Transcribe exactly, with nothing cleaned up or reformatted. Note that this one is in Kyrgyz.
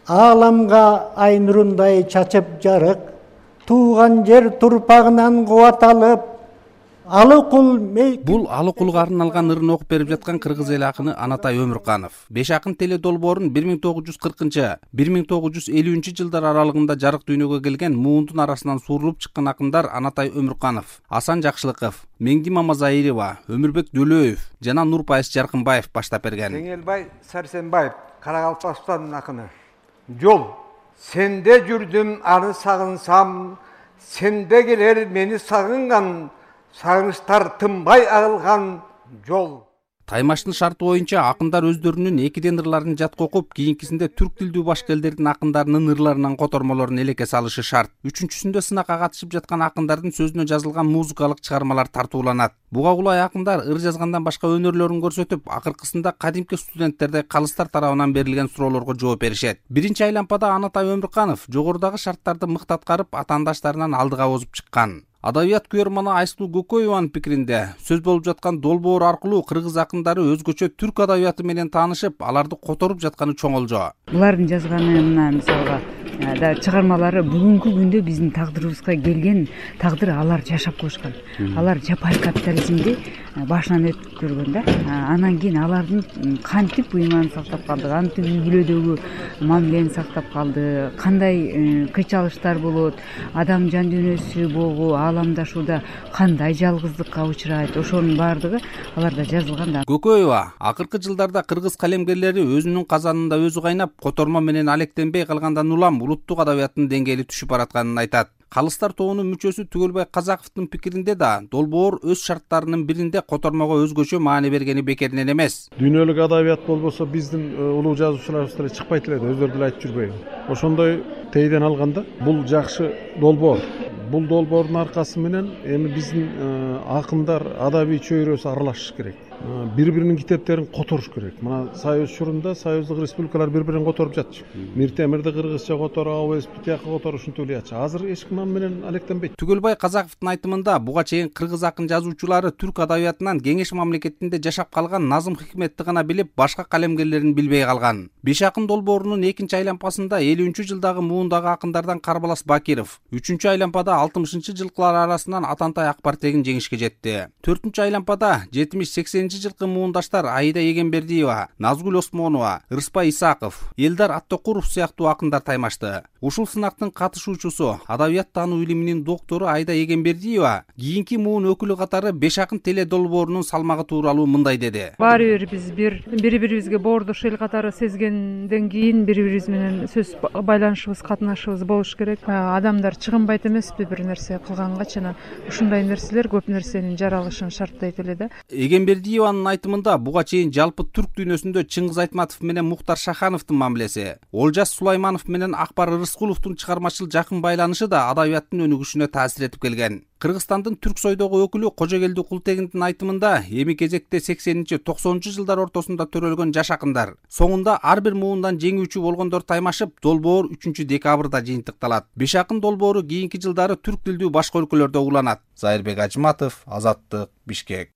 ааламга ай нурундай чачып жарык, тууган жер турпагынан кубат алып, Алыкул мей... Бул Алыкулга арналган ырын окуп берип жаткан кыргыз эл акыны Анатай Өмүрканов. Беш акын теле долбоорун бир миң тогуз жүз кыркынчы — бир миң тогуз жүз элүүнчү жылдар аралыгында жарык дүйнөгө келген муундун арасынан суурулуп чыккан акындар Анатай Өмүрканов, Асан Жакшылыков, Меңди Мамазаирова, Өмүрбек Дөлөев жана Нурпайыс Жаркынбаев баштап берген. Кеңелбай Сарсенбаев, Карагалпастан акыны. Жол, сенде жүрдүм аны сагынсам, сенде келер мени сагынган, сагынычтар тынбай агылган жол. Таймаштын шарты боюнча акындар өздөрүнүн экиден ырларын жатка окуп, кийинкисинде түрк тилдүү башка элдердин акындарынын ырларынан котормолорун элекке салышы шарт. Үчүнчүсүндө сынакка катышып жаткан акындардын сөзүнө жазылган музыкалык чыгармалар тартууланат. Буга кулай акындар ыр жазгандан башка өнөрлөрүн көрсөтүп, акыркысында кадимки студенттердей калыстар тарабынан берилген суроолорго жооп беришет. Биринчи айлампада Анатай Өмүрканов жогорудагы шарттарды мыкты аткарып, атаандаштарынан алдыга озуп чыккан. Адабият күйөрманы Айсулуу Көкөеванын пикиринде, сөз болуп жаткан долбоор аркылуу кыргыз акындары өзгөчө түрк адабияты менен таанышып, аларды которуп жатканы чоңолжо. Булардын жазганы мына мисалга да чыгармалары бүгүнкү күндө биздин тагдырыбызга келген тагдыр, алар жашап коюшкан. Алар жапайы капитализмди башынан өтүп көргөн да. Анан кийин алардын кантип ыйманын сактап калды, кантип үй бүлөдөгү мамилени сактап калды, кандай кыйчалыштар болот, адам жан дүйнөсү болгу ааламдашууда кандай жалгыздыкка учурайт, ошонун баардыгы аларда жазылган да. Көкөева акыркы жылдарда кыргыз калемгерлери өзүнүн казанында өзү кайнап, котормо менен алектенбей калгандан улам улуттук адабияттын деңгээли түшүп баратканын айтат. Калыстар тобунун мүчөсү Түгөлбай Казаковдун пикиринде да долбоор өз шарттарынын биринде котормого өзгөчө маани бергени бекеринен эмес. Дүйнөлүк адабият болбосо биздин улуу жазуучуларыбыз деле чыкпайт эле, өздөрү деле айтып жүрбөйбү. Ошондой тейден алганда бул жакшы долбоор. Бул долбоордун аркасы менен эми биздин акындар адабий чөйрөсү аралашыш керек. Бири-биринин китептерин которуш керек. Мына Союз чорунда союздук республикалар бири-бирин которуп жатчы. Мир Темирди кыргызча которуп, ОСП тияка которуп ушинтип эле жатчы. Азыр эч ким аны менен алектенбейт. Түгөлбай Казаковдун айтымында буга чейин кыргыз акын жазуучулары түрк адабиятынан кеңеш мамлекетинде жашап калган Назым Хикметти гана билип, башка калемгерлерин билбей калган. Беш акын долбоорунун экинчи айлампасында элүүнчү жылдагы муундагы акындардан Карбалас Бакиров, үчүнчү айлампада алтымышынчы жылкылар арасынан Атантай Акбартегин жеңишке жетти. төртүнчү айлампада жетимиш сексенинчи жылкы муундаштар Аида Эгембердиева, Назгүл Осмонова, Рыспай Исаков, Элдар Аттокуров сыяктуу акындар таймашты. Ушул сынактын катышуучусу, адабият таануу илиминин доктору Аида Эгембердиева кийинки муун өкүлү катары Беш акын теле долбоорунун салмагы тууралуу мындай деди. Баары бир биз бир бири-бирибизге боордош эл катары сезгенден кийин бири-бирибиз менен сөз байланышыбыз, катнашыбыз болуш керек. Адамдар чыгынбайт эмеспи бир нерсе кылганга, жана ушундай нерселер көп нерсенин жаралышын шарттайт эле да. Эгембердиеванын айтымында буга чейин жалпы түрк дүйнөсүндө Чыңгыз Айтматов менен Мухтар Шахановдун мамилеси, Олжас Сулайманов менен Акбар Рыскуловдун чыгармачыл жакын байланышы да адабияттын өнүгүшүнө таасир этип келген. Кыргызстандын түрк сойдогу өкүлү Кожогелди Култегиндин айтымында эми кезекте сексенинчи токсонунчу жылдар ортосунда төрөлгөн жаш акындар, соңунда ар бир муундан жеңүүчү болгондор таймашып, долбоор үчүнчү декабрда жыйынтыкталат. Беш акын долбоору кийинки жылдары түрк тилдүү башка өлкөлөрдө уланат. Зайырбек Ажматов, Азаттык, Бишкек.